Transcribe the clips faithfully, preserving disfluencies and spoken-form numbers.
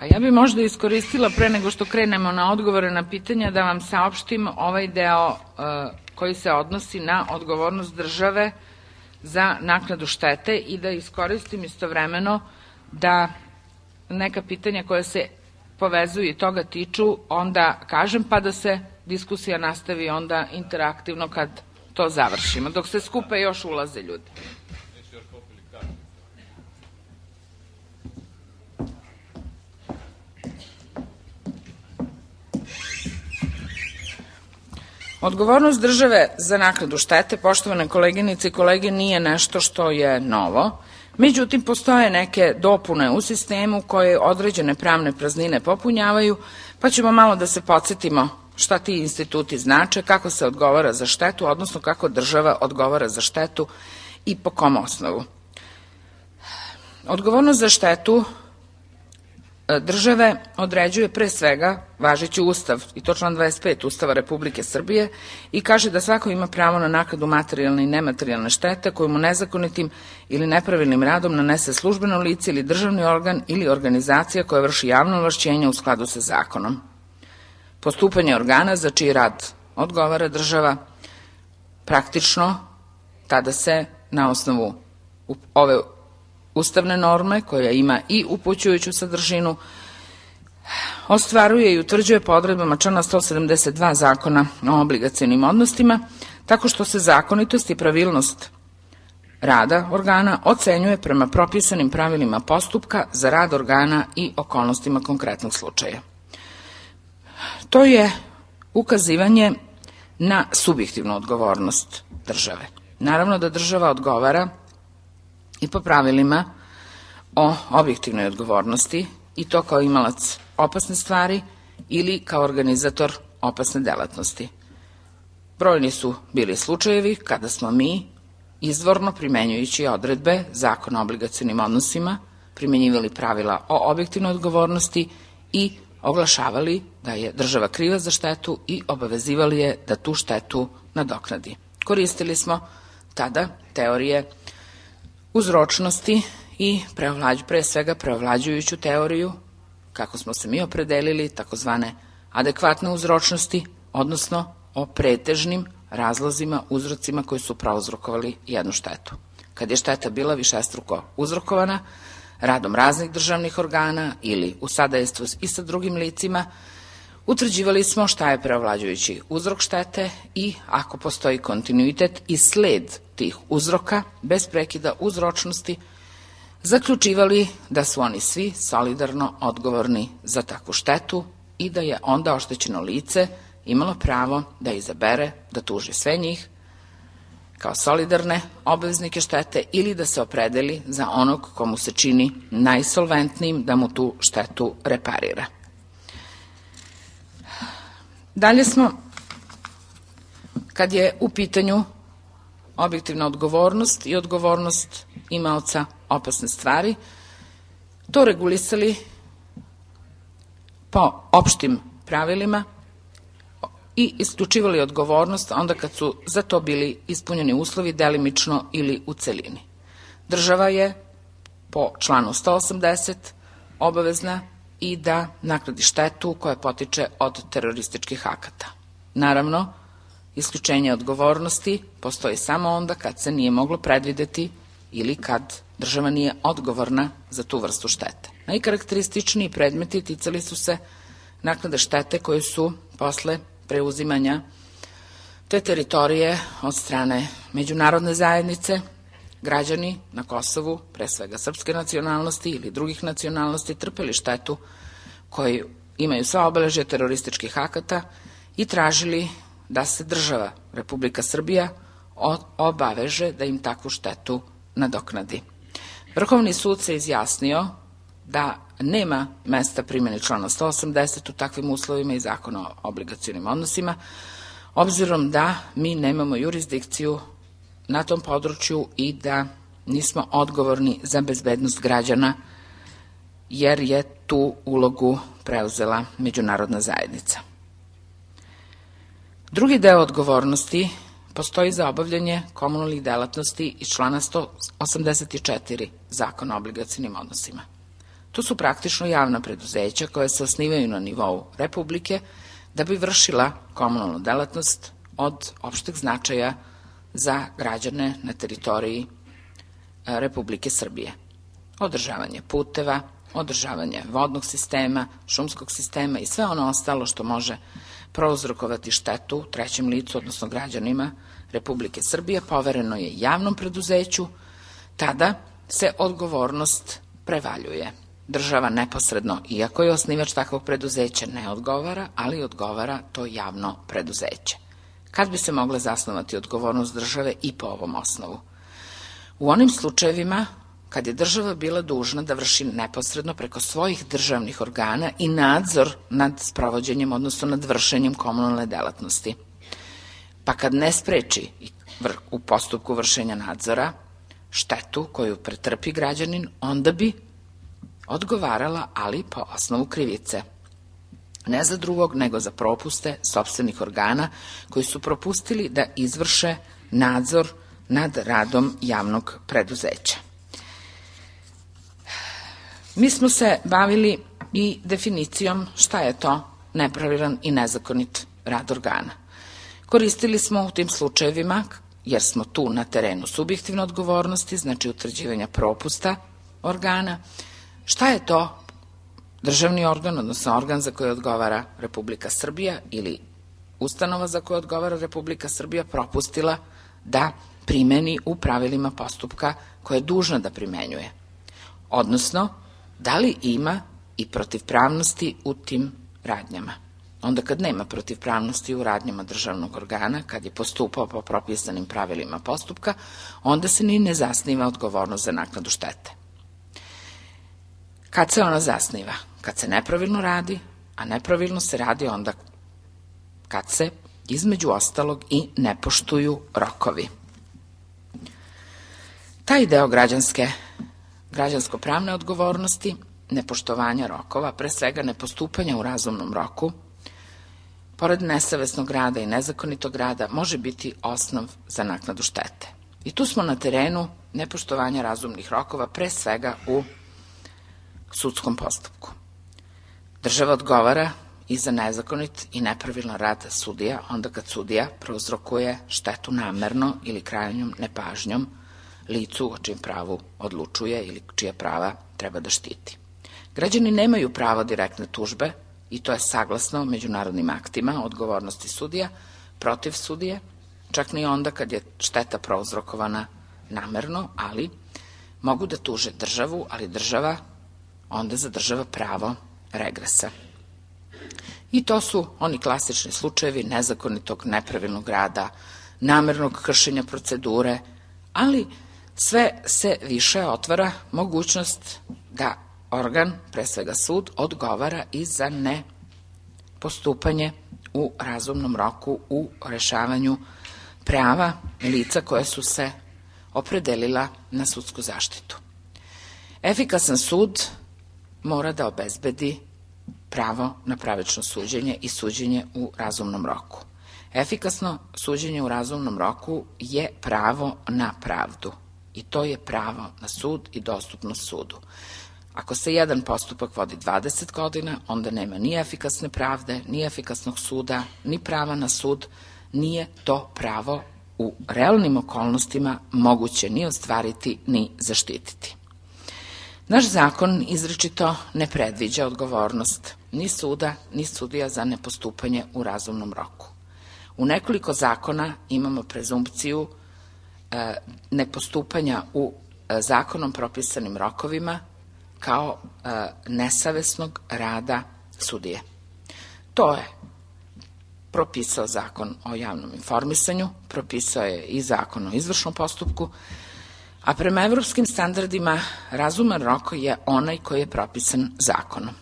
A ja bih možda iskoristila pre nego što krenemo na odgovore na pitanja da vam saopštim ovaj deo koji se odnosi na odgovornost države za naknadu štete i da iskoristim istovremeno da neka pitanja koja se povezuju i toga tiču onda kažem, pa da se diskusija nastavi onda interaktivno kad to završimo. Dok se skupe još ulaze ljudi. Odgovornost države za naknadu štete, poštovane koleginice i kolege, nije nešto što je novo. Međutim, postoje neke dopune u sistemu koje određene pravne praznine popunjavaju, pa ćemo malo da se podsjetimo šta ti instituti znače, kako se odgovara za štetu, odnosno kako država odgovara za štetu i po kom osnovu. Odgovornost za štetu države određuje pre svega važeći Ustav, i to član dvadeset pet Ustava Republike Srbije, i kaže da svako ima pravo na naknadu materijalne i nematerijalne štete koju mu nezakonitim ili nepravilnim radom nanese službeno lice ili državni organ ili organizacija koja vrši javno ovlašćenje u skladu sa zakonom. Postupanje organa za čiji rad odgovara država praktično tada se na osnovu ove ustavne norme, koja ima i upućujuću sadržinu, ostvaruje i utvrđuje po odredbama člana sto sedamdeset dva Zakona o obligacionim odnosima, tako što se zakonitost i pravilnost rada organa ocenjuje prema propisanim pravilima postupka za rad organa i okolnostima konkretnog slučaja. To je ukazivanje na subjektivnu odgovornost države. Naravno da država odgovara i po pravilima o objektivnoj odgovornosti, i to kao imalac opasne stvari ili kao organizator opasne delatnosti. Brojni su bili slučajevi kada smo mi, izvorno primenjujući odredbe Zakona o obligacionim odnosima, primenjivali pravila o objektivnoj odgovornosti i oglašavali da je država kriva za štetu i obavezivali je da tu štetu nadoknadi. Koristili smo tada teorije uzročnosti i pre svega preovlađujuću teoriju, kako smo se mi opredelili, takozvane adekvatne uzročnosti, odnosno o pretežnim razlozima, uzrocima koji su prouzrokovali jednu štetu. Kad je šteta bila višestruko uzrokovana radom raznih državnih organa ili u sadejstvu i sa drugim licima, utvrđivali smo šta je preovlađujući uzrok štete i ako postoji kontinuitet i sled tih uzroka bez prekida uzročnosti, zaključivali da su oni svi solidarno odgovorni za takvu štetu i da je onda oštećeno lice imalo pravo da izabere da tuži sve njih kao solidarne obveznike štete ili da se opredeli za onog komu se čini najsolventnijim da mu tu štetu reparira. Dalje smo, kad je u pitanju objektivna odgovornost i odgovornost imaoca opasne stvari, to regulisali po opštim pravilima i isključivali odgovornost onda kad su za to bili ispunjeni uslovi delimično ili u celini. Država je po članu sto osamdeset obavezna i da naknadi štetu koja potiče od terorističkih akata. Naravno, isključenje odgovornosti postoji samo onda kad se nije moglo predvideti ili kad država nije odgovorna za tu vrstu štete. Najkarakterističniji predmeti ticali su se naknade štete koje su posle preuzimanja te teritorije od strane međunarodne zajednice, građani na Kosovu, pre svega srpske nacionalnosti ili drugih nacionalnosti, trpeli štetu koji imaju sva obeležja terorističkih akata i tražili da se država Republika Srbija obaveže da im takvu štetu nadoknadi. Vrhovni sud se izjasnio da nema mesta primjeni člana sto osamdeset u takvim uslovima i Zakona o obligacionim odnosima, obzirom da mi nemamo jurisdikciju na tom području i da nismo odgovorni za bezbednost građana, jer je tu ulogu preuzela međunarodna zajednica. Drugi deo odgovornosti postoji za obavljanje komunalnih delatnosti iz člana sto osamdeset četiri Zakona o obligacionim odnosima. To su praktično javna preduzeća koja se osnivaju na nivou Republike da bi vršila komunalnu delatnost od opšteg značaja za građane na teritoriji Republike Srbije. Održavanje puteva, održavanje vodnog sistema, šumskog sistema i sve ono ostalo što može prouzrokovati štetu trećem licu, odnosno građanima Republike Srbije, povereno je javnom preduzeću, tada se odgovornost prevaljuje. Država neposredno, iako je osnivač takvog preduzeća, ne odgovara, ali odgovara to javno preduzeće. Kad bi se mogla zasnovati odgovornost države i po ovom osnovu? U onim slučajevima kad je država bila dužna da vrši neposredno preko svojih državnih organa i nadzor nad sprovođenjem, odnosno nad vršenjem komunalne delatnosti. Pa kad ne spreči u postupku vršenja nadzora štetu koju pretrpi građanin, onda bi odgovarala, ali po osnovu krivice. Ne za drugog, nego za propuste sopstvenih organa koji su propustili da izvrše nadzor nad radom javnog preduzeća. Mi smo se bavili i definicijom šta je to nepravilan i nezakonit rad organa. Koristili smo u tim slučajevima, jer smo tu na terenu subjektivne odgovornosti, znači utvrđivanja propusta organa, šta je to državni organ, odnosno organ za koje odgovara Republika Srbija ili ustanova za koju odgovara Republika Srbija propustila da primeni u pravilima postupka koje je dužna da primenjuje. Odnosno, da li ima i protivpravnosti u tim radnjama. Onda kad nema protivpravnosti u radnjama državnog organa, kad je postupao po propisanim pravilima postupka, onda se ni ne zasniva odgovornost za naknadu štete. Kad se ona zasniva? Kad se nepravilno radi, a nepravilno se radi onda kad se, između ostalog, i ne poštuju rokovi. Taj deo građanske, građansko-pravne odgovornosti, nepoštovanja rokova, pre svega nepostupanja u razumnom roku, pored nesavesnog rada i nezakonitog rada, može biti osnov za naknadu štete. I tu smo na terenu nepoštovanja razumnih rokova, pre svega u sudskom postupku. Država odgovara i za nezakonit i nepravilan rad sudija, onda kad sudija prouzrokuje štetu namerno ili krajnjom nepažnjom licu o čijem pravu odlučuje ili čija prava treba da štiti. Građani nemaju pravo direktne tužbe, i to je saglasno međunarodnim aktima o odgovornosti sudija protiv sudije, čak ni onda kad je šteta prouzrokovana namerno, ali mogu da tuže državu, ali država onda zadržava pravo regresa. I to su oni klasični slučajevi nezakonitog, nepravilnog rada, namernog kršenja procedure, ali sve se više otvara mogućnost da organ, pre svega sud, odgovara i za nepostupanje u razumnom roku u rešavanju prava lica koje su se opredelila na sudsku zaštitu. Efikasan sud mora da obezbedi pravo na pravično suđenje i suđenje u razumnom roku. Efikasno suđenje u razumnom roku je pravo na pravdu i to je pravo na sud i dostupnost sudu. Ako se jedan postupak vodi dvadeset godina, onda nema ni efikasne pravde, ni efikasnog suda, ni prava na sud, nije to pravo u realnim okolnostima moguće ni ostvariti, ni zaštititi. Naš zakon izričito ne predviđa odgovornost ni suda, ni sudija za nepostupanje u razumnom roku. U nekoliko zakona imamo prezumpciju e, nepostupanja u e, zakonom propisanim rokovima kao e, nesavesnog rada sudije. To je propisao Zakon o javnom informisanju, propisao je i Zakon o izvršnom postupku, a prema evropskim standardima razuman rok je onaj koji je propisan zakonom.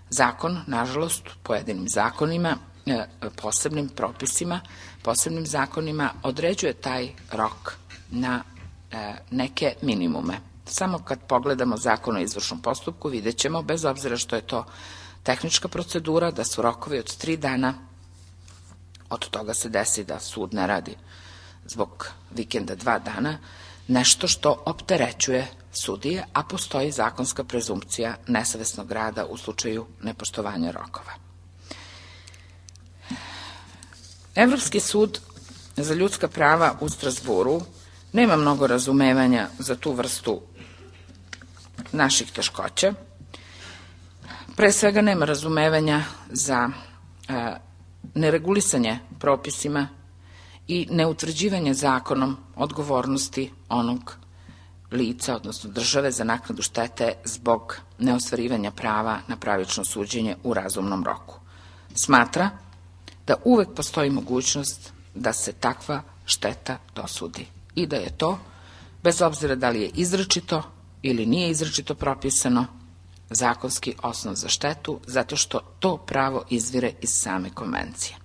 Zakon, nažalost, pojedinim zakonima, posebnim propisima, posebnim zakonima određuje taj rok na neke minimume. Samo kad pogledamo Zakon o izvršnom postupku vidjet ćemo, bez obzira što je to tehnička procedura, da su rokovi od tri dana, od toga se desi da sud ne radi zbog vikenda dva dana, nešto što opterećuje sudije, a postoji zakonska prezumpcija nesavesnog rada u slučaju nepoštovanja rokova. Evropski sud za ljudska prava u Strazburu nema mnogo razumevanja za tu vrstu naših teškoća. Pre svega nema razumevanja za e, neregulisanje propisima i neutvrđivanje zakonom odgovornosti onog lica, odnosno države, za naknadu štete zbog neostvarivanja prava na pravično suđenje u razumnom roku. Smatra da uvek postoji mogućnost da se takva šteta dosudi i da je to, bez obzira da li je izričito ili nije izričito propisano, zakonski osnov za štetu, zato što to pravo izvire iz same konvencije.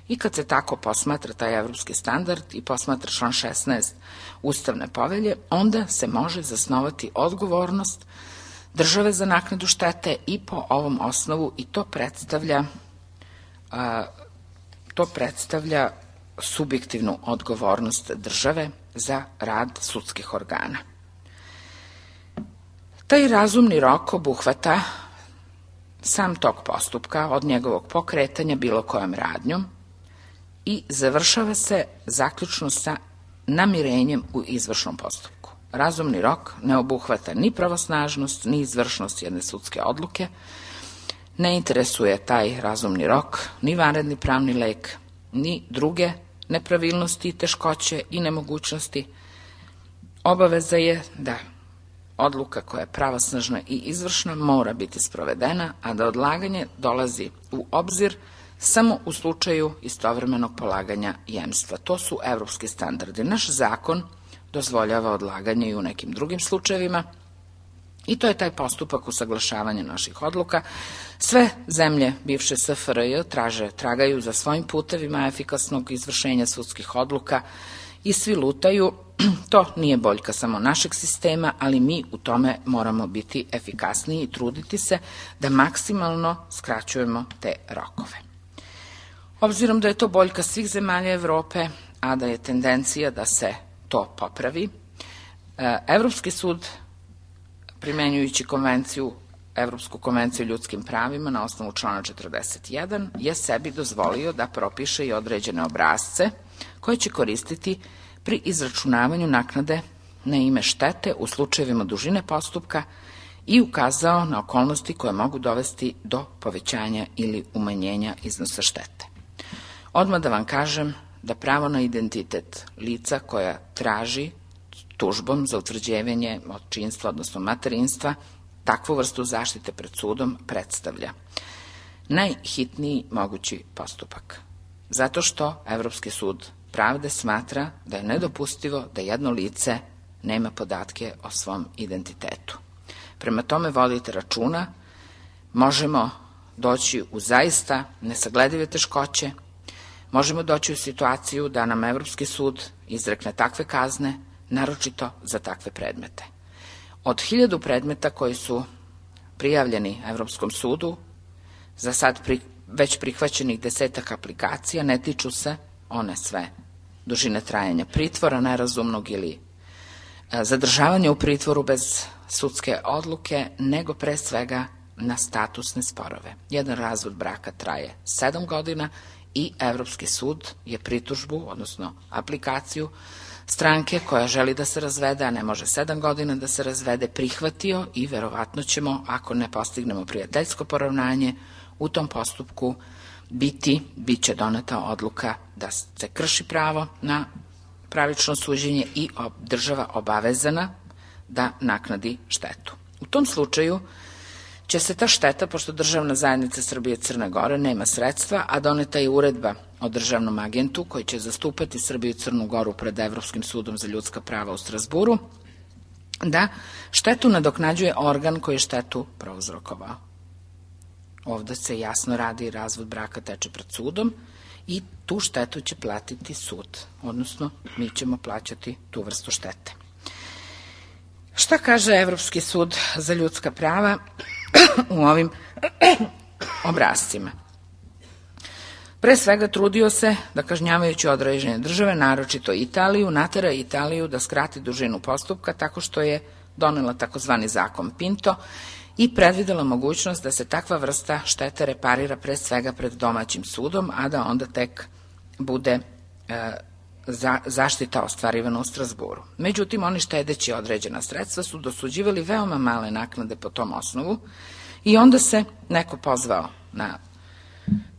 I kad se tako posmatra taj evropski standard i posmatra član šesnaest Ustavne povelje, onda se može zasnovati odgovornost države za naknadu štete i po ovom osnovu, i to predstavlja a, to predstavlja subjektivnu odgovornost države za rad sudskih organa. Taj razumni rok obuhvata sam tok postupka od njegovog pokretanja bilo kojom radnjom i završava se zaključno sa namirenjem u izvršnom postupku. Razumni rok ne obuhvata ni pravosnažnost, ni izvršnost jedne sudske odluke, ne interesuje taj razumni rok ni vanredni pravni lek, ni druge nepravilnosti, teškoće i nemogućnosti. Obaveza je da odluka koja je pravosnažna i izvršna mora biti sprovedena, a da odlaganje dolazi u obzir samo u slučaju istovremenog polaganja jemstva. To su evropski standardi. Naš zakon dozvoljava odlaganje i u nekim drugim slučajevima i to je taj postupak usaglašavanja naših odluka. Sve zemlje bivše S F R J traže, tragaju za svojim putevima efikasnog izvršenja sudskih odluka i svi lutaju. To nije boljka samo našeg sistema, ali mi u tome moramo biti efikasniji i truditi se da maksimalno skraćujemo te rokove. Obzirom da je to boljka svih zemalja Evrope, a da je tendencija da se to popravi, Evropski sud, primenjujući konvenciju, Evropsku konvenciju o ljudskim pravima na osnovu člana četrdeset jedan, je sebi dozvolio da propiše i određene obrasce koje će koristiti pri izračunavanju naknade na ime štete u slučajevima dužine postupka i ukazao na okolnosti koje mogu dovesti do povećanja ili umanjenja iznosa štete. Odmah da vam kažem da pravo na identitet lica koja traži tužbom za utvrđivanje očinstva, odnosno materinstva, takvu vrstu zaštite pred sudom predstavlja najhitniji mogući postupak. Zato što Evropski sud pravde smatra da je nedopustivo da jedno lice nema podatke o svom identitetu. Prema tome vodite računa, možemo doći u zaista nesagledive teškoće, možemo doći u situaciju da nam Evropski sud izrekne takve kazne, naročito za takve predmete. Od hiljadu predmeta koji su prijavljeni Evropskom sudu, za sad pri, već prihvaćenih desetak aplikacija, ne tiču se one sve dužine trajanja pritvora nerazumnog ili zadržavanja u pritvoru bez sudske odluke, nego pre svega na statusne sporove. Jedan razvod braka traje sedam godina i Evropski sud je pritužbu, odnosno aplikaciju stranke koja želi da se razvede, a ne može sedam godina da se razvede, prihvatio i verovatno ćemo, ako ne postignemo prijateljsko poravnanje, u tom postupku biti, bit će doneta odluka da se krši pravo na pravično suđenje i država obavezana da naknadi štetu. U tom slučaju će se ta šteta, pošto državna zajednica Srbije i Crne Gore nema sredstva, a doneta je uredba o državnom agentu koji će zastupati Srbiju i Crnu Goru pred Evropskim sudom za ljudska prava u Strazburu, da štetu nadoknađuje organ koji je štetu prouzrokovao. Ovde se jasno radi, razvod braka teče pred sudom i tu štetu će platiti sud, odnosno mi ćemo plaćati tu vrstu štete. Šta kaže Evropski sud za ljudska prava u ovim obrascima? Pre svega trudio se da, kažnjavajući određene države, naročito Italiju, natera Italiju da skrati dužinu postupka tako što je donela takozvani zakon Pinto i predvidela mogućnost da se takva vrsta štete reparira pre svega pred domaćim sudom, a da onda tek bude e, za, zaštita ostvarivana u Strazburu. Međutim, oni štedeći određena sredstva su dosuđivali veoma male naknade po tom osnovu i onda se neko pozvao na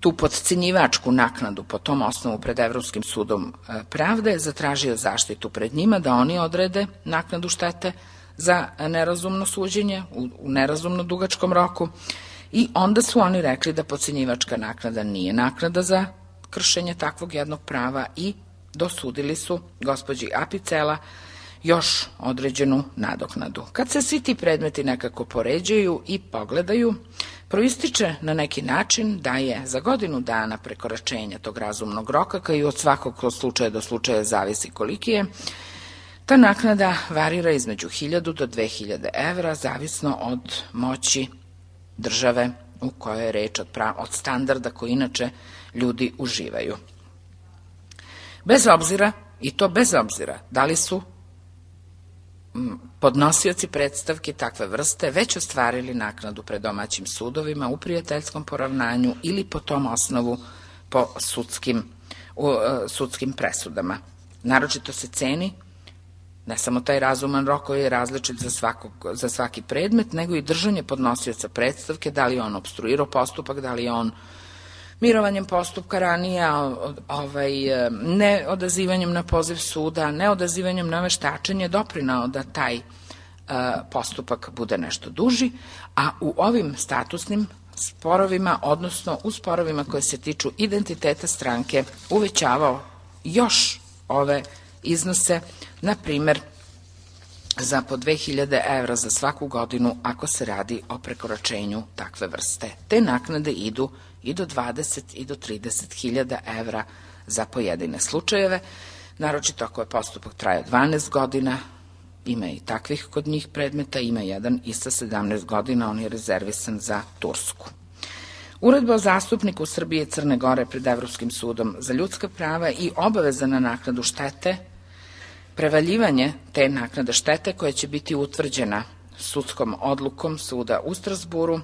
tu potcenjivačku naknadu po tom osnovu pred Evropskim sudom pravde, zatražio zaštitu pred njima da oni odrede naknadu štete za nerazumno suđenje u, u nerazumno dugačkom roku i onda su oni rekli da potcenjivačka naknada nije naknada za kršenje takvog jednog prava i dosudili su gospođi Apicela još određenu nadoknadu. Kad se svi ti predmeti nekako poređaju i pogledaju, proističe na neki način da je za godinu dana prekoračenja tog razumnog roka, kao i od svakog slučaja do slučaja zavisi koliki je, ta naknada varira između hiljadu do dve hiljade evra, zavisno od moći države u kojoj je reč, od, prav, od standarda koji inače ljudi uživaju. Bez obzira, i to bez obzira, da li su podnosioci predstavki takve vrste već ostvarili naknadu pred domaćim sudovima u prijateljskom poravnanju ili po tom osnovu po sudskim, u, sudskim presudama. Naročito se ceni ne samo taj razuman rok koji je različit za, svakog, za svaki predmet, nego i držanje podnosioca predstavke, da li je on opstruirao postupak, da li je on mirovanjem postupka ranije, ovaj, ne odazivanjem na poziv suda, ne odazivanjem na veštačenje doprinao da taj uh, postupak bude nešto duži, a u ovim statusnim sporovima, odnosno u sporovima koje se tiču identiteta stranke, uvećavao još ove iznose, na primer za po dve hiljade evra za svaku godinu ako se radi o prekoračenju takve vrste. Te naknade idu i do dvadeset i do trideset hiljada evra za pojedine slučajeve, naročito ako je postupak trajao dvanaest godina, ima i takvih kod njih predmeta, ima jedan i sa sedamnaest godina, on je rezervisan za Tursku. Uredba o zastupniku Srbije i Crne Gore pred Evropskim sudom za ljudska prava i obaveza na naknadu štete, prevaljivanje te naknade štete koja će biti utvrđena sudskom odlukom suda u Strazburu,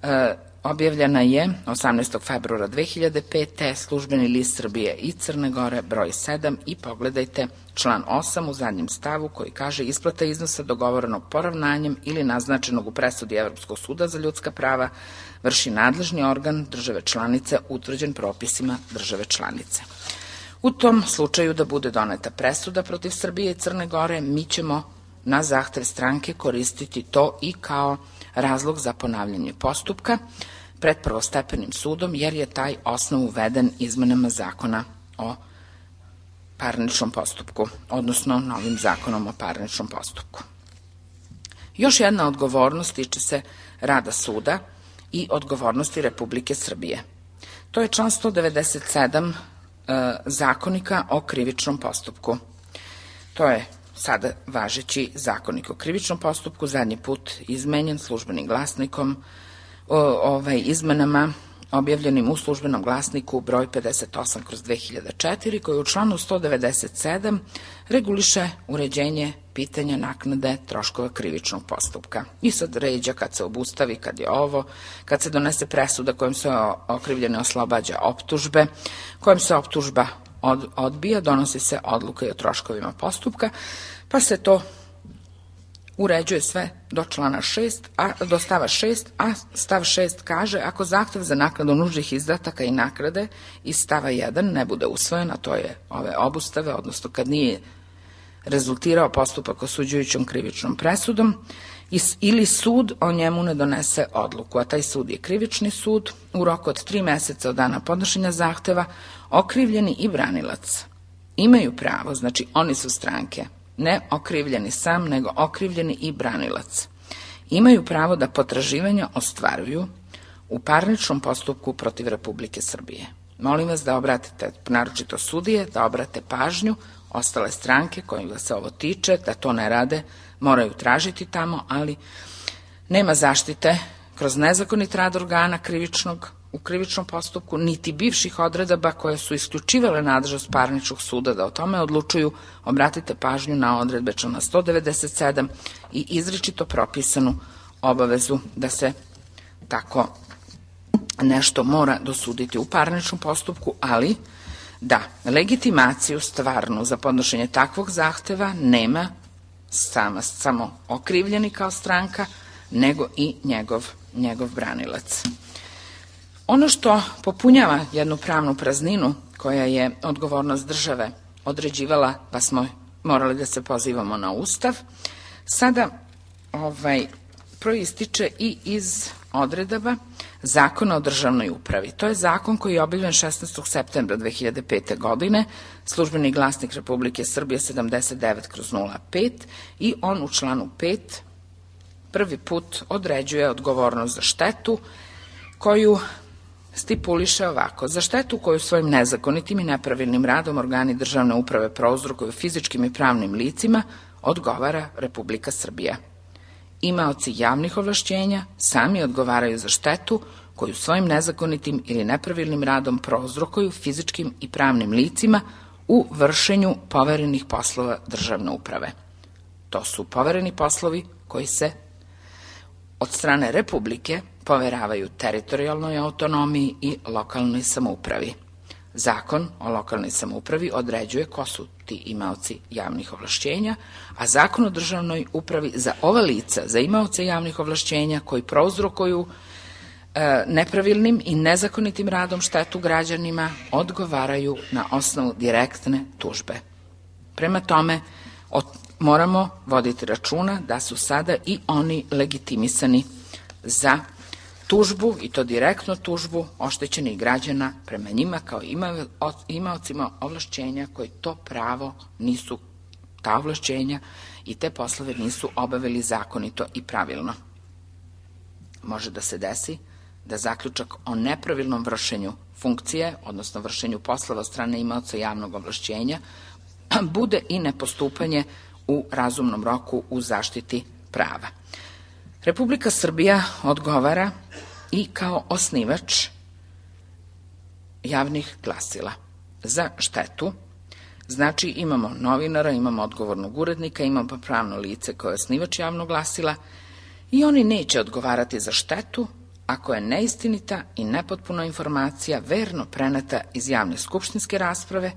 e, objavljena je osamnaestog februara dve hiljade pete. Službeni list Srbije i Crne Gore broj sedam i pogledajte član osam u zadnjem stavu koji kaže isplata iznosa dogovorenog poravnanjem ili naznačenog u presudi Evropskog suda za ljudska prava vrši nadležni organ države članice utvrđen propisima države članice. U tom slučaju da bude doneta presuda protiv Srbije i Crne Gore, mi ćemo na zahtev stranke koristiti to i kao razlog za ponavljanje postupka pred prvostepenim sudom, jer je taj osnov uveden izmenama zakona o parničnom postupku, odnosno novim zakonom o parničnom postupku. Još jedna odgovornost tiče se rada suda i odgovornosti Republike Srbije. To je član sto devedeset sedam e, Zakonika o krivičnom postupku. To je sada važeći Zakonik o krivičnom postupku, zadnji put izmenjen Službenim glasnikom, o, ovaj, izmenama objavljenim u Službenom glasniku broj pedeset osam kroz dve hiljade četiri, koji u članu sto devedeset sedam reguliše uređenje pitanja naknade troškova krivičnog postupka. I sad ređa kad se obustavi, kad je ovo, kad se donese presuda kojom se okrivljene oslobađa optužbe, kojom se optužba od, odbija, donosi se odluka i o troškovima postupka, pa se to uređuje sve do člana šest, a, do stava šest, a stav šest kaže ako zahtev za naknadu nužnih izdataka i naknade iz stava jedan ne bude usvojen, a to je ove obustave, odnosno kad nije rezultirao postupak osuđujućom krivičnom presudom, ili sud o njemu ne donese odluku, a taj sud je krivični sud, u roku od tri meseca od dana podnošenja zahteva, okrivljeni i branilac imaju pravo, znači oni su stranke, ne okrivljeni sam, nego okrivljeni i branilac, imaju pravo da potraživanja ostvaruju u parničnom postupku protiv Republike Srbije. Molim vas da obratite, naročito sudije, da obrate pažnju, ostale stranke kojima se ovo tiče, da to ne rade, moraju tražiti tamo, ali nema zaštite kroz nezakonit rad organa krivičnog u krivičnom postupku, niti bivših odredaba koje su isključivale nadležnost parničnog suda da o tome odlučuju, obratite pažnju na odredbe člana sto devedeset sedam i izričito propisanu obavezu da se tako nešto mora dosuditi u parničnom postupku, ali da legitimaciju stvarnu za podnošenje takvog zahteva nema sama, samo okrivljeni kao stranka, nego i njegov, njegov branilac. Ono što popunjava jednu pravnu prazninu koja je odgovornost države određivala, pa smo morali da se pozivamo na Ustav, sada ovaj, proističe i iz odredaba Zakona o državnoj upravi. To je zakon koji je objavljen šesnaestog septembra dve hiljade pete. godine, Službeni glasnik Republike Srbije sedamdeset devet kroz nula pet, i on u članu pet prvi put određuje odgovornost za štetu koju stipuliše ovako: za štetu koju svojim nezakonitim i nepravilnim radom organi državne uprave prouzrokuju fizičkim i pravnim licima odgovara Republika Srbija. Imaoci javnih ovlašćenja sami odgovaraju za štetu koju svojim nezakonitim ili nepravilnim radom prouzrokuju fizičkim i pravnim licima u vršenju poverenih poslova državne uprave. To su povereni poslovi koji se od strane Republike poveravaju teritorijalnoj autonomiji i lokalnoj samoupravi. Zakon o lokalnoj samoupravi određuje ko su ti imaoci javnih ovlašćenja, a Zakon o državnoj upravi za ova lica, za imaoce javnih ovlašćenja koji prouzrokuju e, nepravilnim i nezakonitim radom štetu građanima, odgovaraju na osnovu direktne tužbe. Prema tome, od, moramo voditi računa da su sada i oni legitimisani za tužbu, i to direktno tužbu oštećenih građana prema njima kao imaocima ovlašćenja koji to pravo nisu, ta ovlašćenja i te poslove nisu obavili zakonito i pravilno. Može da se desi da zaključak o nepravilnom vršenju funkcije, odnosno vršenju poslova od strane imaoca javnog ovlašćenja, bude i nepostupanje u razumnom roku u zaštiti prava. Republika Srbija odgovara i kao osnivač javnih glasila za štetu. Znači, imamo novinara, imamo odgovornog urednika, imamo pravno lice koje je osnivač javnog glasila i oni neće odgovarati za štetu ako je neistinita i nepotpuna informacija verno preneta iz javne skupštinske rasprave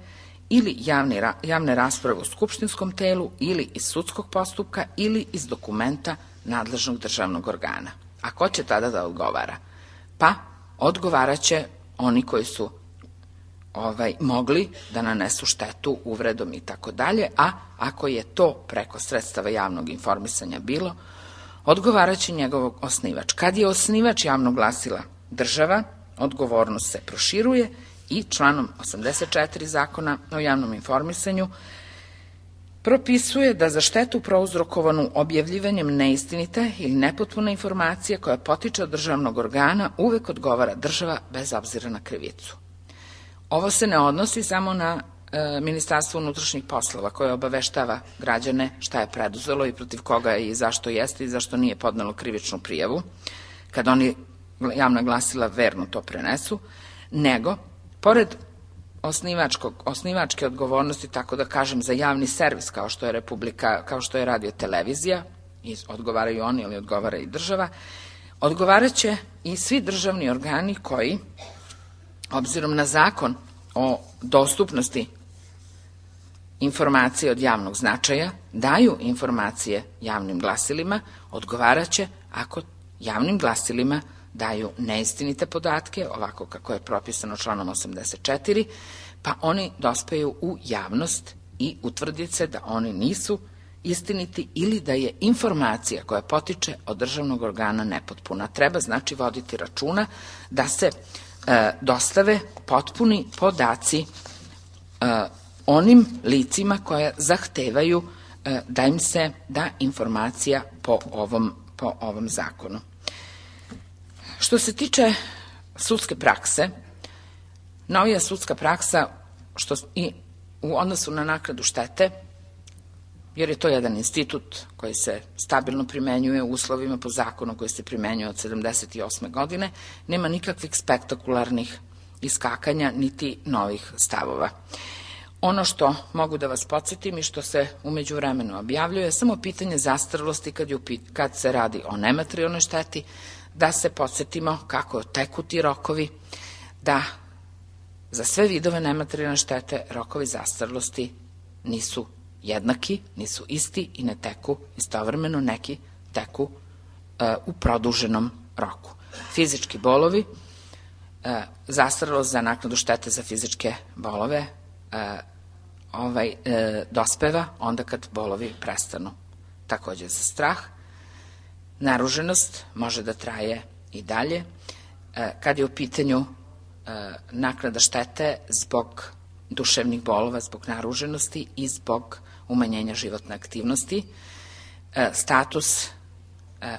ili javne, javne rasprave u skupštinskom telu ili iz sudskog postupka ili iz dokumenta nadležnog državnog organa. A ko će tada da odgovara? Pa odgovaraće oni koji su ovaj, mogli da nanesu štetu uvredom i tako dalje, a ako je to preko sredstava javnog informisanja bilo, odgovaraće njegov osnivač. Kad je osnivač javnog glasila država, odgovornost se proširuje i članom osamdeset četiri Zakona o javnom informisanju propisuje da za štetu prouzrokovanu objavljivanjem neistinite ili nepotpune informacije koja potiče od državnog organa uvek odgovara država bez obzira na krivicu. Ovo se ne odnosi samo na e, Ministarstvo unutrašnjih poslova koje obaveštava građane šta je preduzelo i protiv koga i zašto jeste i zašto nije podnelo krivičnu prijavu, kad oni javna glasila verno to prenesu, nego, pored osnivačkog, osnivačke odgovornosti, tako da kažem, za javni servis kao što je Republika, kao što je radio televizija, i odgovaraju oni ili odgovara i država, odgovaraće i svi državni organi koji, obzirom na Zakon o dostupnosti informacije od javnog značaja, daju informacije javnim glasilima, odgovaraće ako javnim glasilima daju neistinite podatke, ovako kako je propisano članom osamdeset četiri, pa oni dospeju u javnost i utvrdi se da oni nisu istiniti ili da je informacija koja potiče od državnog organa nepotpuna. Treba znači voditi računa da se e, dostave potpuni podaci e, onim licima koja zahtevaju e, da im se da informacija po ovom, po ovom zakonu. Što se tiče sudske prakse, novija sudska praksa što i u odnosu na naknadu štete jer je to jedan institut koji se stabilno primenjuje u uslovima po zakonu koji se primenjuje od sedamdeset osme godine, nema nikakvih spektakularnih iskakanja niti novih stavova. Ono što mogu da vas podsjetim i što se u međuvremenu objavljuje je samo pitanje zastarelosti kad, je, kad se radi o nematerijalnoj šteti, da se podsjetimo kako teku ti rokovi, da za sve vidove nematerijalne štete rokovi zastarelosti nisu jednaki, nisu isti i ne teku istovremeno, neki teku e, u produženom roku. Fizički bolovi, e, zastarelost za naknadu štete za fizičke bolove e, ovaj, e, dospeva onda kad bolovi prestanu. Takođe za strah, naruženost može da traje i dalje. E, kad je u pitanju e, naknada štete zbog duševnih bolova, zbog naruženosti i zbog umanjenja životne aktivnosti, e, status e,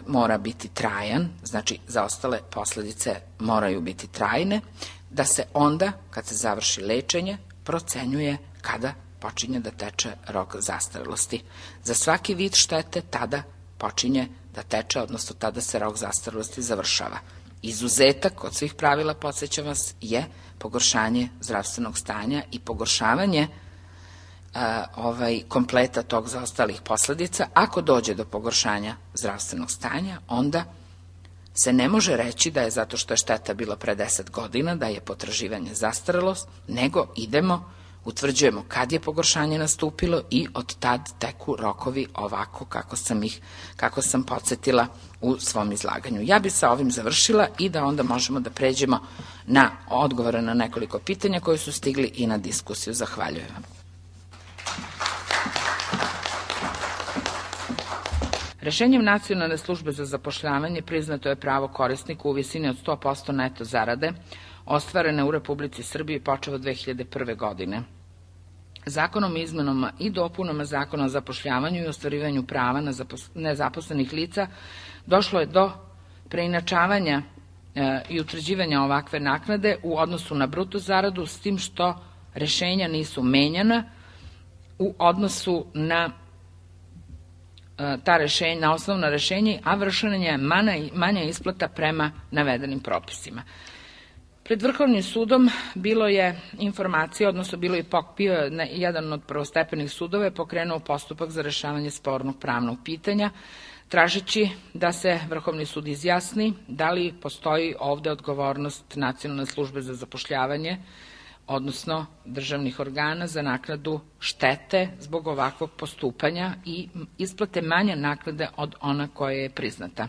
mora biti trajan, znači zaostale posledice moraju biti trajne, da se onda, kad se završi lečenje, procenjuje kada počinje da teče rok zastarelosti. Za svaki vid štete tada počinje da teče, odnosno tada se rok zastarelosti završava. Izuzetak od svih pravila, podsjećam vas, je pogoršanje zdravstvenog stanja i pogoršavanje a, ovaj, kompleta tog zaostalih posledica. Ako dođe do pogoršanja zdravstvenog stanja, onda se ne može reći da je zato što je šteta bila pre deset godina, da je potraživanje zastarelost, nego idemo, utvrđujemo kad je pogoršanje nastupilo i od tad teku rokovi ovako kako sam ih, kako sam podsjetila u svom izlaganju. Ja bi sa ovim završila i da onda možemo da pređemo na odgovore na nekoliko pitanja koji su stigli i na diskusiju. Zahvaljujem vam. Rešenjem Nacionalne službe za zapošljavanje priznato je pravo korisniku u visini od sto posto neto zarade ostvarene u Republici Srbiji počev od dve hiljade prve. godine. Zakonom o izmenama i dopunama Zakona o zapošljavanju i ostvarivanju prava na nezaposlenih lica došlo je do preinačavanja e, i utvrđivanja ovakve naknade u odnosu na bruto zaradu, s tim što rešenja nisu menjana u odnosu na e, ta rešenja, na osnovna rešenja, a vršena je manja, manja isplata prema navedenim propisima. Pred Vrhovnim sudom bilo je informacija, odnosno bilo je bio jedan od prvostepenih sudova je pokrenuo postupak za rešavanje spornog pravnog pitanja, tražeći da se Vrhovni sud izjasni da li postoji ovde odgovornost Nacionalne službe za zapošljavanje, odnosno državnih organa za naknadu štete zbog ovakvog postupanja i isplate manje naknade od ona koja je priznata.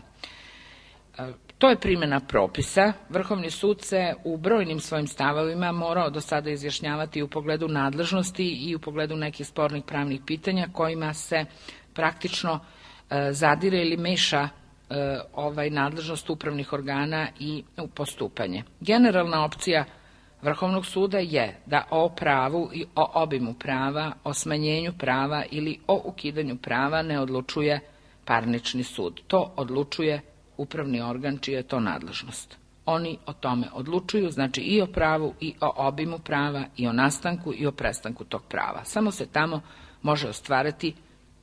To je primjena propisa. Vrhovni sud se u brojnim svojim stavovima morao do sada izjašnjavati u pogledu nadležnosti i u pogledu nekih spornih pravnih pitanja kojima se praktično e, zadire ili meša e, ovaj nadležnost upravnih organa i u postupanje. Generalna opcija Vrhovnog suda je da o pravu i o obimu prava, o smanjenju prava ili o ukidanju prava ne odlučuje parnični sud. To odlučuje upravni organ čija je to nadležnost. Oni o tome odlučuju, znači i o pravu i o obimu prava i o nastanku i o prestanku tog prava. Samo se tamo može ostvariti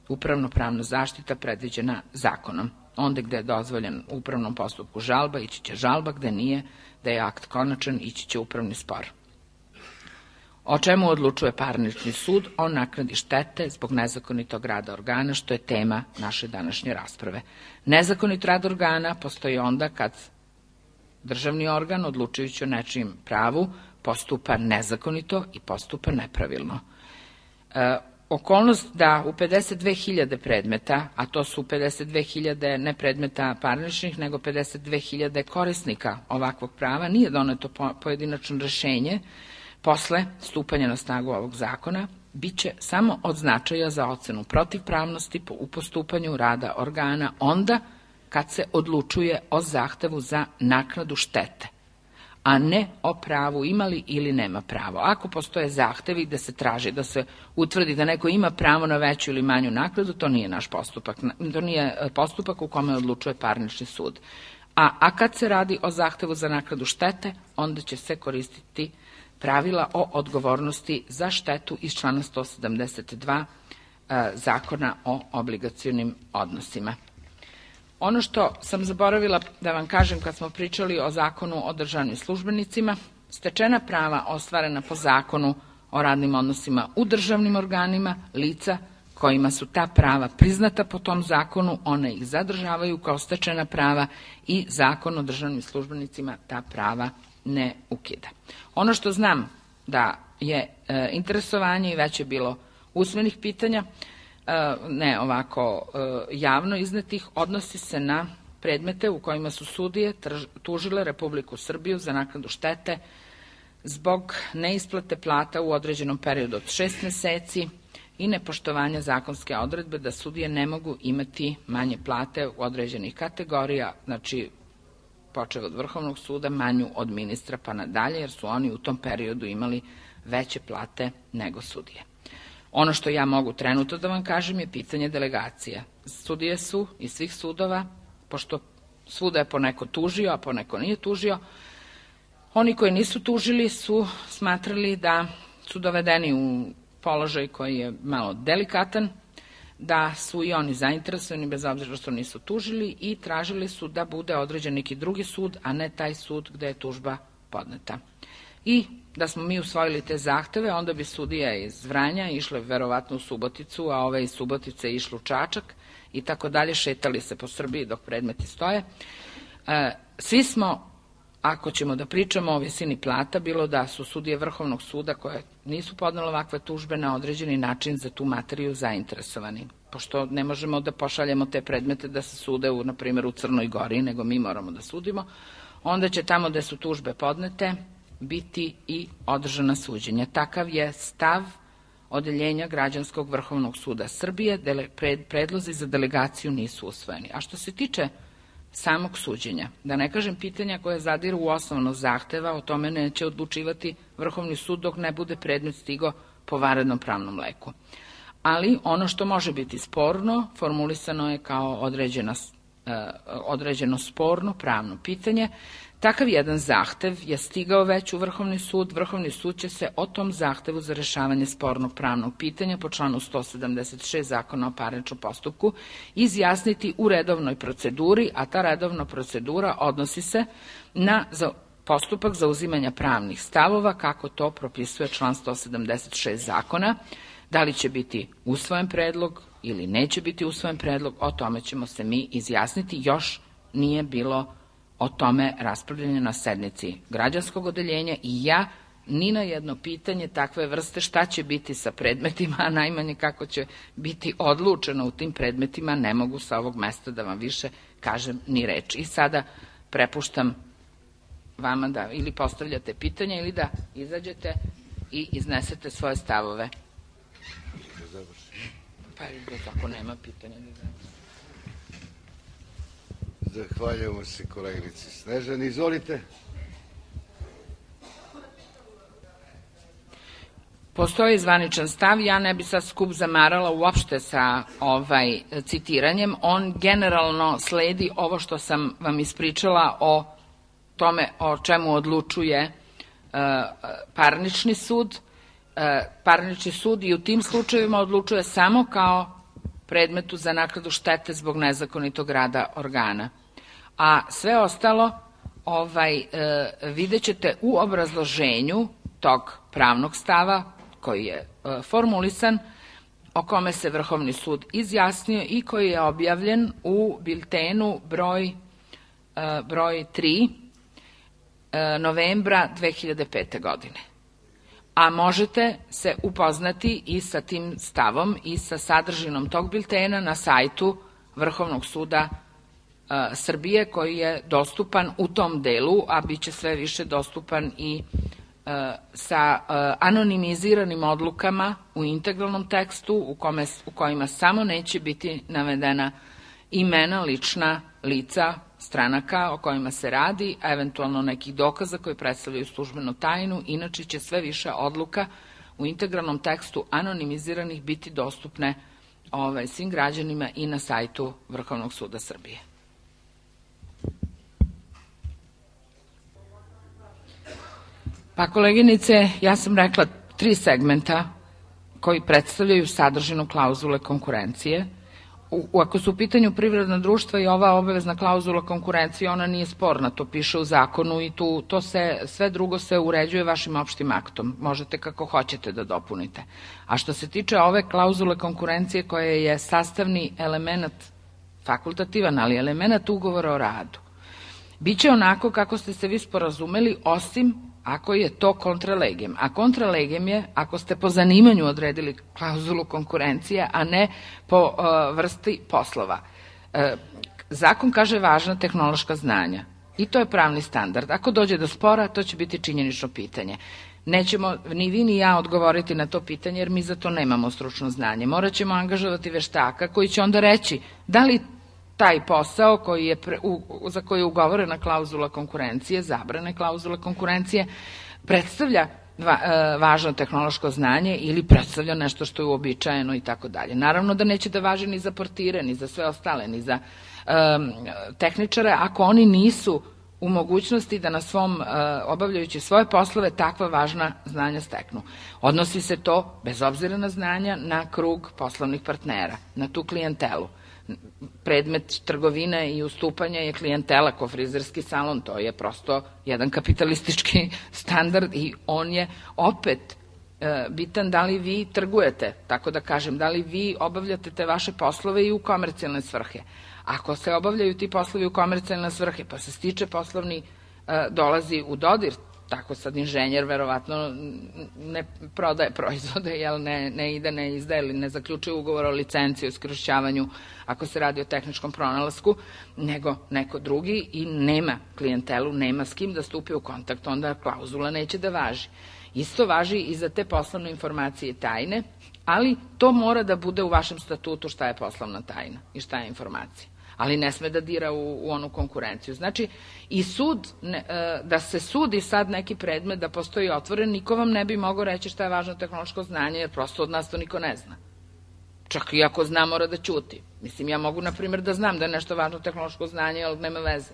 upravno-pravna zaštita predviđena zakonom. Onda gde je dozvoljen u upravnom postupku žalba, ići će žalba, gde nije, da je akt konačan, ići će upravni spor. O čemu odlučuje parnični sud? O naknadi štete zbog nezakonitog rada organa, što je tema naše današnje rasprave. Nezakonit rad organa postoji onda kad državni organ, odlučujući o nečijem pravu, postupa nezakonito i postupa nepravilno. E, okolnost da u pedeset dve hiljade predmeta, a to su pedeset dve hiljade ne predmeta parničnih, nego pedeset dve hiljade korisnika ovakvog prava, nije doneto pojedinačno rešenje, posle stupanja na snagu ovog zakona, bit će samo od značaja za ocenu protivpravnosti u postupanju rada organa onda kad se odlučuje o zahtevu za naknadu štete, a ne o pravu imali ili nema pravo. Ako postoje zahtevi da se traži, da se utvrdi da neko ima pravo na veću ili manju naknadu, to nije naš postupak. To nije postupak u kome odlučuje parnični sud. A, a kad se radi o zahtevu za naknadu štete, onda će se koristiti pravila o odgovornosti za štetu iz člana sto sedamdeset dva Zakona o obligacionim odnosima. Ono što sam zaboravila da vam kažem kad smo pričali o Zakonu o državnim službenicima, stečena prava ostvarena po Zakonu o radnim odnosima u državnim organima, lica kojima su ta prava priznata po tom zakonu, one ih zadržavaju kao stečena prava i Zakon o državnim službenicima ta prava ne ukida. Ono što znam da je e, interesovanje i već je bilo usmenih pitanja, e, ne ovako e, javno iznetih, odnosi se na predmete u kojima su sudije tužile Republiku Srbiju za naknadu štete zbog neisplate plata u određenom periodu od šest meseci i nepoštovanja zakonske odredbe da sudije ne mogu imati manje plate u određenih kategorija, znači počev od Vrhovnog suda, manju od ministra pa nadalje, jer su oni u tom periodu imali veće plate nego sudije. Ono što ja mogu trenutno da vam kažem je pitanje delegacija. Sudije su iz svih sudova, pošto svuda je poneko tužio, a poneko nije tužio, oni koji nisu tužili su smatrali da su dovedeni u položaj koji je malo delikatan, da su i oni zainteresovani bez obzira što nisu tužili i tražili su da bude određen neki drugi sud, a ne taj sud gde je tužba podneta. I da smo mi usvojili te zahteve, onda bi sudija iz Vranja išle verovatno u Suboticu, a ove iz Subotice išle u Čačak i tako dalje, šetali se po Srbiji dok predmeti stoje. E, svi smo, ako ćemo da pričamo o visini plata, bilo da su sudije Vrhovnog suda koje nisu podnele ovakve tužbe na određeni način za tu materiju zainteresovani. Pošto ne možemo da pošaljemo te predmete da se sude, u, na primjer, u Crnoj Gori, nego mi moramo da sudimo, onda će tamo gde su tužbe podnete biti i održana suđenja. Takav je stav Odeljenja Građanskog Vrhovnog suda Srbije, predlozi za delegaciju nisu usvojeni. A što se tiče samog suđenja, da ne kažem pitanja koje zadiru u osnovno zahteva, o tome neće odlučivati Vrhovni sud dok ne bude predmet stigo po vanrednom pravnom leku. Ali ono što može biti sporno, formulisano je kao određeno, određeno sporno pravno pitanje. Takav jedan zahtev je stigao već u Vrhovni sud. Vrhovni sud će se o tom zahtevu za rešavanje spornog pravnog pitanja po članu sto sedamdeset šest Zakona o parničnom postupku izjasniti u redovnoj proceduri, a ta redovna procedura odnosi se na postupak zauzimanja pravnih stavova, kako to propisuje član sto sedamdeset šest Zakona. Da li će biti usvojen predlog ili neće biti usvojen predlog, o tome ćemo se mi izjasniti. Još nije bilo o tome raspravljanje na sednici građanskog odeljenja i ja ni na jedno pitanje takve vrste šta će biti sa predmetima, a najmanje kako će biti odlučeno u tim predmetima, ne mogu sa ovog mesta da vam više kažem ni reč. I sada prepuštam vama da ili postavljate pitanja ili da izađete i iznesete svoje stavove. Pa ako nema pitanja, da završim. Zahvaljujemo se koleginici Snežani. Izvolite. Postoji zvaničan stav, ja ne bi sad skup zamarala uopšte sa ovaj citiranjem. On generalno sledi ovo što sam vam ispričala o tome o čemu odlučuje uh, parnični sud. Uh, parnični sud i u tim slučajevima odlučuje samo kao predmetu za naknadu štete zbog nezakonitog rada organa. A sve ostalo ovaj, e, vidjet ćete u obrazloženju tog pravnog stava koji je e, formulisan, o kome se Vrhovni sud izjasnio i koji je objavljen u biltenu broj, e, broj tri e, novembra dve hiljade pete. godine. A možete se upoznati i sa tim stavom i sa sadržinom tog biltena na sajtu Vrhovnog suda e, Srbije, koji je dostupan u tom delu, a bit će sve više dostupan i e, sa e, anonimiziranim odlukama u integralnom tekstu u, kome, u kojima samo neće biti navedena imena lična lica stranaka o kojima se radi, a eventualno nekih dokaza koji predstavljaju službenu tajnu. Inače će sve više odluka u integralnom tekstu anonimiziranih biti dostupne ovaj, svim građanima i na sajtu Vrhovnog suda Srbije. Pa koleginice, ja sam rekla tri segmenta koji predstavljaju sadržinu klauzule konkurencije. U, ako su u pitanju privredna društva i ova obavezna klauzula konkurencije, ona nije sporna, to piše u zakonu i tu, to se, sve drugo se uređuje vašim opštim aktom. Možete kako hoćete da dopunite. A što se tiče ove klauzule konkurencije koja je sastavni element, fakultativan, ali element ugovora o radu, biće onako kako ste se vi sporazumeli, osim ako je to kontralegem. A kontralegem je ako ste po zanimanju odredili klauzulu konkurencije, a ne po uh, vrsti poslova. Uh, zakon kaže važna tehnološka znanja i to je pravni standard. Ako dođe do spora, to će biti činjenično pitanje. Nećemo ni vi ni ja odgovoriti na to pitanje, jer mi za to nemamo stručno znanje. Morat ćemo angažovati veštaka koji će onda reći da li taj posao koji je pre, u, za koji je ugovorena klauzula konkurencije, zabrane klauzule konkurencije, predstavlja va, e, važno tehnološko znanje ili predstavlja nešto što je uobičajeno i tako dalje. Naravno da neće da važi ni za portire, ni za sve ostale, ni za e, tehničare, ako oni nisu u mogućnosti da na svom, e, obavljajući svoje poslove, takva važna znanja steknu. Odnosi se to, bez obzira na znanja, na krug poslovnih partnera, na tu klijentelu. Predmet trgovine i ustupanja je klijentela ko frizerski salon, to je prosto jedan kapitalistički standard i on je opet e, bitan da li vi trgujete, tako da kažem, da li vi obavljate te vaše poslove i u komercijalne svrhe. Ako se obavljaju ti poslovi u komercijalne svrhe, pa se stiče poslovni, e, dolazi u dodir, tako sad inženjer verovatno ne prodaje proizvode, jel ne, ne ide, ne izdaje ili ne zaključuje ugovor o licenciji, o iskorišćavanju ako se radi o tehničkom pronalasku, nego neko drugi i nema klijentelu, nema s kim da stupi u kontakt, onda klauzula neće da važi. Isto važi i za te poslovne informacije tajne, ali to mora da bude u vašem statutu šta je poslovna tajna i šta je informacija. Ali ne sme da dira u, u onu konkurenciju. Znači, i sud, ne, da se sudi sad neki predmet, da postoji otvoren, niko vam ne bi mogao reći šta je važno tehnološko znanje, jer prosto od nas to niko ne zna. Čak i ako zna, mora da ćuti. Mislim, ja mogu, na primjer, da znam da je nešto važno tehnološko znanje, ali nema veze.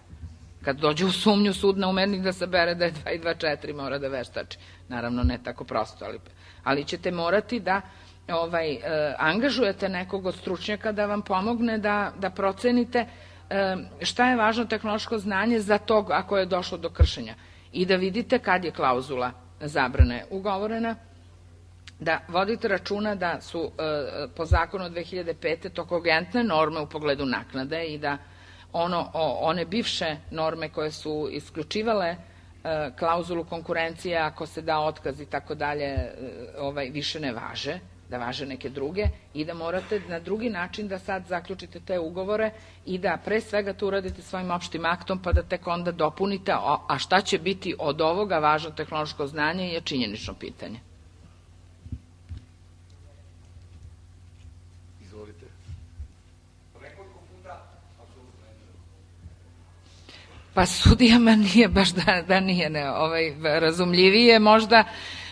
Kad dođe u sumnju sud na umernik da sabere da je dva i dva četiri, mora da veštači. Naravno, ne tako prosto, ali, ali ćete morati da ovaj, e, angažujete nekog od stručnjaka da vam pomogne da, da procenite e, šta je važno tehnološko znanje za tog ako je došlo do kršenja i da vidite kad je klauzula zabrane ugovorena, da vodite računa da su e, po zakonu od dve hiljade pete to kogentne norme u pogledu naknade i da ono, o, one bivše norme koje su isključivale e, klauzulu konkurencije ako se da otkaz i tako dalje ovaj, više ne važe, da važe neke druge i da morate na drugi način da sad zaključite te ugovore i da pre svega to uradite svojim opštim aktom pa da tek onda dopunite, a šta će biti od ovoga važno tehnološko znanje je činjenično pitanje. Izvolite. Pa sudijama nije baš da, da nije ne, ovaj, razumljivije možda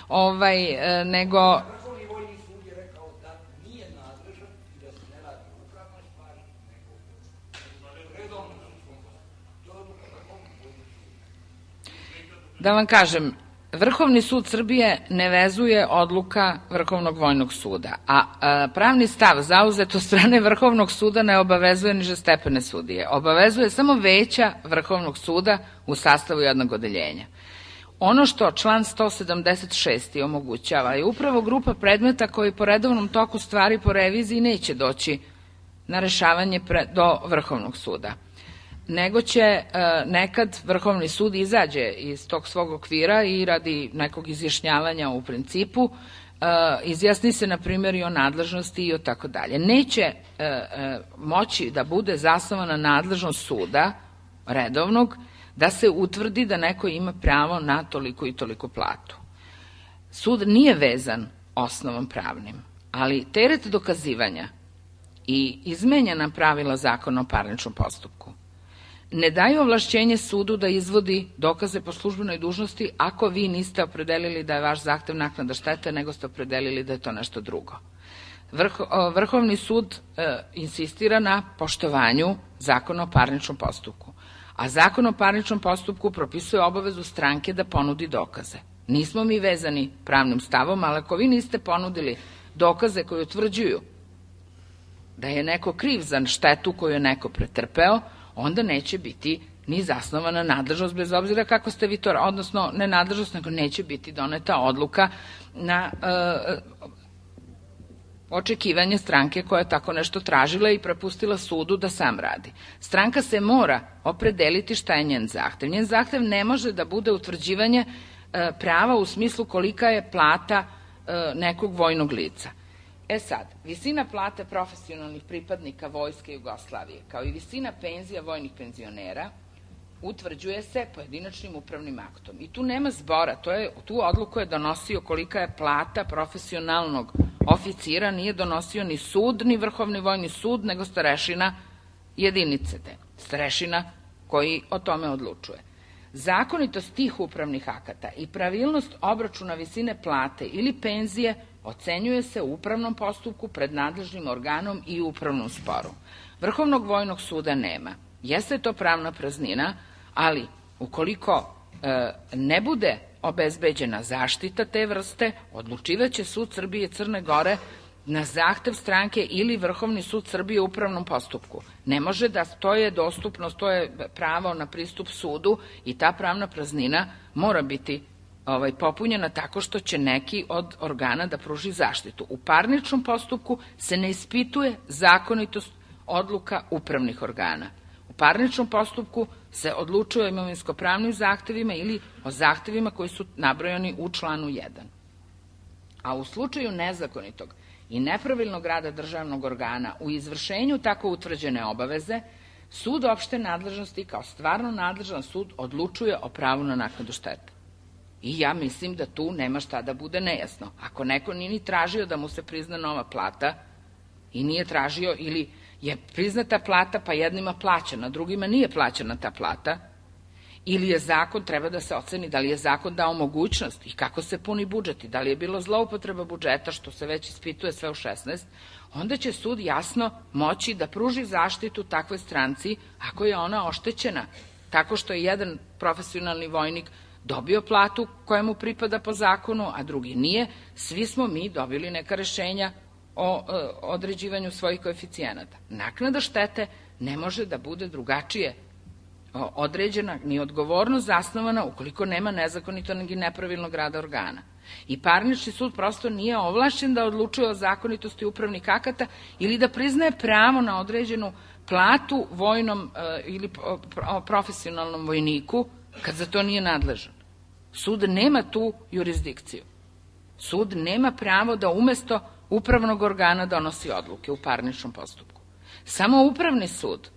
ovaj, nego... Da vam kažem, Vrhovni sud Srbije ne vezuje odluka Vrhovnog vojnog suda, a, a pravni stav zauzet od strane Vrhovnog suda ne obavezuje nižestepene sudije. Obavezuje samo veća Vrhovnog suda u sastavu jednog odeljenja. Ono što član sto sedamdeset šest omogućava je upravo grupa predmeta koji po redovnom toku stvari po reviziji neće doći na rešavanje pre, do Vrhovnog suda, nego će e, nekad Vrhovni sud izađe iz tog svog okvira i radi nekog izjašnjavanja u principu, e, izjasni se na primjer i o nadležnosti i o tako dalje. Neće e, e, moći da bude zasnovana nadležnost suda redovnog da se utvrdi da neko ima pravo na toliko i toliko platu. Sud nije vezan osnovom pravnim, ali teret dokazivanja i izmenjena pravila zakona o parničnom postupku ne daju ovlašćenje sudu da izvodi dokaze po službenoj dužnosti ako vi niste opredelili da je vaš zahtev naknada štete, nego ste opredelili da je to nešto drugo. Vrho, Vrhovni sud e, insistira na poštovanju zakona o parničnom postupku, a zakon o parničnom postupku propisuje obavezu stranke da ponudi dokaze. Nismo mi vezani pravnim stavom, ali ako vi niste ponudili dokaze koji utvrđuju da je neko kriv za štetu koju je neko pretrpeo, onda neće biti ni zasnovana nadležnost, bez obzira kako ste vi to, odnosno ne nadležnost, nego neće biti doneta odluka na e, očekivanje stranke koja je tako nešto tražila i prepustila sudu da sam radi. Stranka se mora opredeliti šta je njen zahtev. Njen zahtev ne može da bude utvrđivanje e, prava u smislu kolika je plata e, nekog vojnog lica. E sad, visina plate profesionalnih pripadnika Vojske Jugoslavije, kao i visina penzija vojnih penzionera, utvrđuje se pojedinačnim upravnim aktom. I tu nema zbora, to je, tu odluku je donosio kolika je plata profesionalnog oficira, nije donosio ni sud, ni Vrhovni vojni sud, nego starešina jedinice te, starešina koji o tome odlučuje. Zakonitost tih upravnih akata i pravilnost obračuna visine plate ili penzije ocenjuje se u upravnom postupku pred nadležnim organom i upravnom sporu. Vrhovnog vojnog suda nema. Jeste to pravna praznina, ali ukoliko e, ne bude obezbeđena zaštita te vrste, odlučivaće sud Srbije i Crne Gore na zahtev stranke ili Vrhovni sud Srbije u upravnom postupku. Ne može da to je dostupnost, to je pravo na pristup sudu i ta pravna praznina mora biti ovaj, popunjena tako što će neki od organa da pruži zaštitu. U parničnom postupku se ne ispituje zakonitost odluka upravnih organa. U parničnom postupku se odlučuje o imovinsko-pravnim zahtevima ili o zahtevima koji su nabrojani u članu jedan. A u slučaju nezakonitog i nepravilnog rada državnog organa u izvršenju tako utvrđene obaveze, sud opšte nadležnosti kao stvarno nadležan sud odlučuje o pravu na naknadu štete. I ja mislim da tu nema šta da bude nejasno. Ako neko nije ni tražio da mu se prizna nova plata i nije tražio ili je priznata plata pa jednima plaćena, drugima nije plaćena ta plata, ili je zakon, treba da se oceni da li je zakon dao mogućnost i kako se puni budžet i da li je bilo zloupotreba budžeta, što se već ispituje sve u šesnaest, onda će sud jasno moći da pruži zaštitu takvoj stranci ako je ona oštećena tako što je jedan profesionalni vojnik dobio platu koja mu pripada po zakonu, a drugi nije. Svi smo mi dobili neka rešenja o e, određivanju svojih koeficijenata. Naknada štete ne može da bude drugačije određena ni odgovornost zasnovana ukoliko nema nezakonitog i nepravilnog rada organa. I parnični sud prosto nije ovlašćen da odlučuje o zakonitosti upravnih akata ili da priznaje pravo na određenu platu vojnom e, ili profesionalnom vojniku kad za to nije nadležan. Sud nema tu jurisdikciju. Sud nema pravo da umesto upravnog organa donosi odluke u parničnom postupku. Samo upravni sud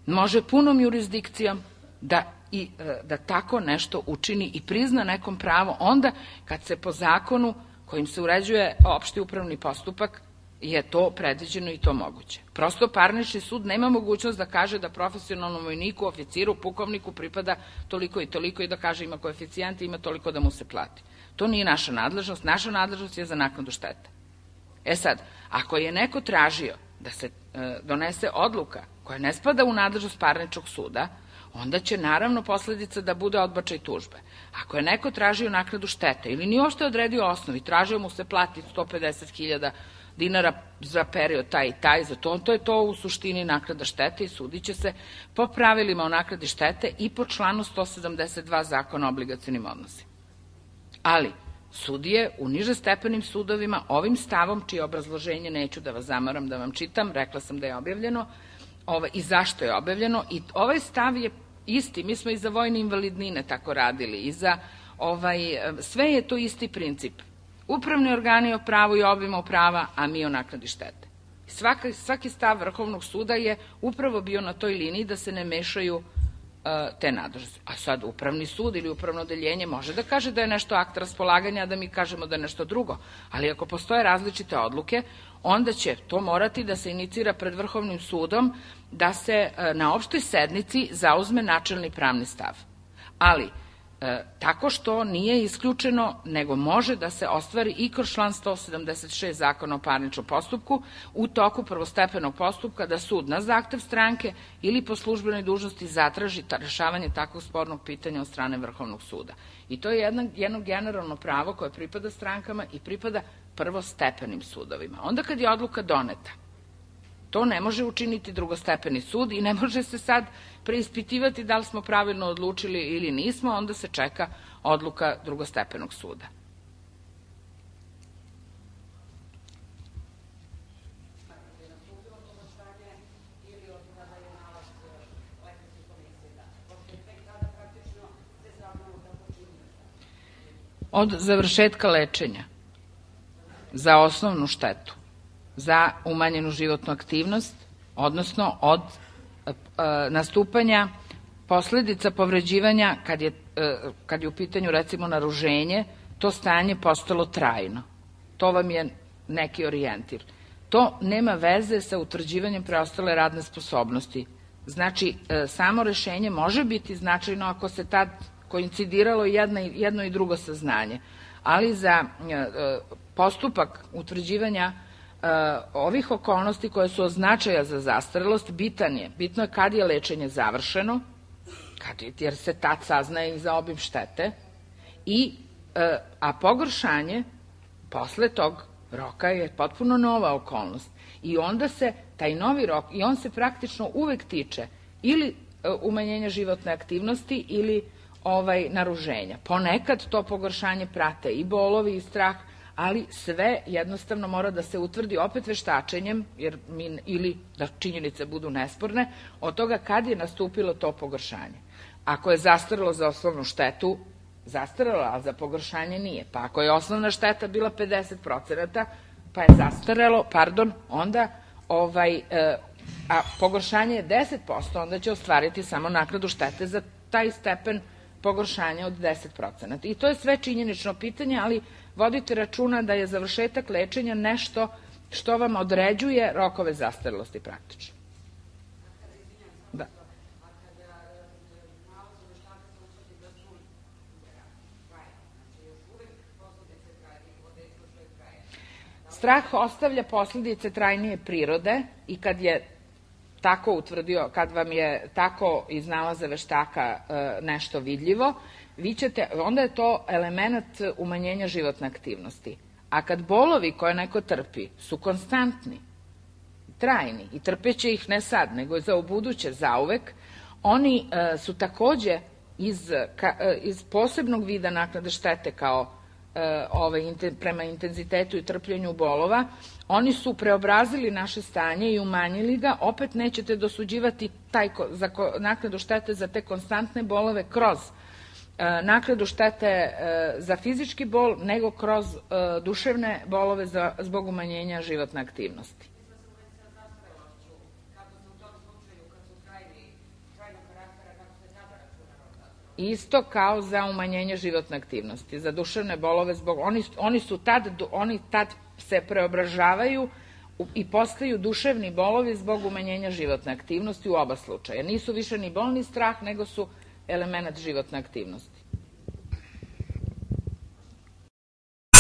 može punom jurisdikcijom da, i, da tako nešto učini i prizna nekom pravo onda kad se po zakonu kojim se uređuje opšti upravni postupak je to predviđeno i to moguće. Prosto parnični sud nema mogućnost da kaže da profesionalnom vojniku, oficiru, pukovniku pripada toliko i toliko i da kaže ima koeficijent i ima toliko da mu se plati. To nije naša nadležnost. Naša nadležnost je za naknadu štete. E sad, ako je neko tražio da se e, donese odluka koja ne spada u nadležnost parničnog suda, onda će naravno posledica da bude odbačaj tužbe. Ako je neko tražio naknadu štete ili nije uopšte odredio osnovi, tražio mu se plati sto pedeset hiljada dinara za period taj i taj, za to, to je to u suštini naknada štete i sudit će se po pravilima o naknadi štete i po članu sto sedamdeset dva Zakona o obligacionim odnosima. Ali, sudije u nižestepenim sudovima ovim stavom, čije obrazloženje neću da vas zamaram da vam čitam, rekla sam da je objavljeno, ovaj, i zašto je objavljeno, i ovaj stav je isti, mi smo i za vojne invalidnine tako radili, i za ovaj, sve je to isti princip. Upravni organi o pravu i obima prava, a mi o naknadi štete. Svaki, svaki stav Vrhovnog suda je upravo bio na toj liniji da se ne mešaju uh, te nadležnosti. A sad upravni sud ili upravno odeljenje može da kaže da je nešto akt raspolaganja, a da mi kažemo da je nešto drugo. Ali ako postoje različite odluke, onda će to morati da se inicira pred Vrhovnim sudom da se uh, na opštoj sednici zauzme načelni pravni stav. Ali E, tako što nije isključeno, nego može da se ostvari i kroz član sto sedamdeset šest Zakona o parničnom postupku u toku prvostepenog postupka da sud na zahtev stranke ili po službenoj dužnosti zatraži rešavanje takvog spornog pitanja od strane Vrhovnog suda. I to je jedno, jedno generalno pravo koje pripada strankama i pripada prvostepenim sudovima. Onda kad je odluka doneta, to ne može učiniti drugostepeni sud i ne može se sad preispitivati da li smo pravilno odlučili ili nismo, onda se čeka odluka drugostepenog suda. Od završetka lečenja za osnovnu štetu, za umanjenu životnu aktivnost, odnosno od e, nastupanja posledica povređivanja kad je, e, kad je u pitanju recimo naruženje, to stanje postalo trajno. To vam je neki orijentir. To nema veze sa utvrđivanjem preostale radne sposobnosti. Znači, e, samo rešenje može biti značajno ako se tad koincidiralo jedno, jedno i drugo saznanje, ali za e, postupak utvrđivanja e, ovih okolnosti koje su od značaja za zastarelost bitan je. Bitno je kad je lečenje završeno, kad je, jer se tad saznaje i za obim štete, i, e, a pogoršanje posle tog roka je potpuno nova okolnost. I onda se taj novi rok, i on se praktično uvek tiče ili e, umanjenja životne aktivnosti ili ovaj naruženja. Ponekad to pogoršanje prate i bolovi i strah, ali sve jednostavno mora da se utvrdi opet veštačenjem, jer mi, ili da činjenice budu nesporne, od toga kad je nastupilo to pogoršanje. Ako je zastarelo za osnovnu štetu, zastarelo, a za pogoršanje nije. Pa ako je osnovna šteta bila pedeset procenata, pa je zastarelo, pardon, onda ovaj, e, a pogoršanje je deset posto, onda će ostvariti samo naknadu štete za taj stepen pogoršanja od deset procenata. I to je sve činjenično pitanje, ali vodite računa da je završetak lečenja nešto što vam određuje rokove zastarelosti praktično. Da. Strah ostavlja posledice trajnije prirode i kad je tako utvrdio, kad vam je tako iz nalaza veštaka e, nešto vidljivo, vi ćete, onda je to element umanjenja životne aktivnosti. A kad bolovi koje neko trpi su konstantni, trajni i trpeće ih ne sad, nego za ubuduće, zauvek, oni e, su takođe iz, ka, e, iz posebnog vida naknade štete kao e, ovaj, inten, prema intenzitetu i trpljenju bolova, oni su preobrazili naše stanje i umanjili ga, opet nećete dosuđivati taj, za, naknadu štete za te konstantne bolove kroz e, naknadu štete e, za fizički bol, nego kroz e, duševne bolove za, zbog umanjenja životne aktivnosti. Isto kao za umanjenje životne aktivnosti, za duševne bolove, zbog, oni, oni su tad, oni tad se preobražavaju i postaju duševni bolovi zbog umanjenja životne aktivnosti u oba slučaja. Nisu više ni bolni strah, nego su element životne aktivnosti.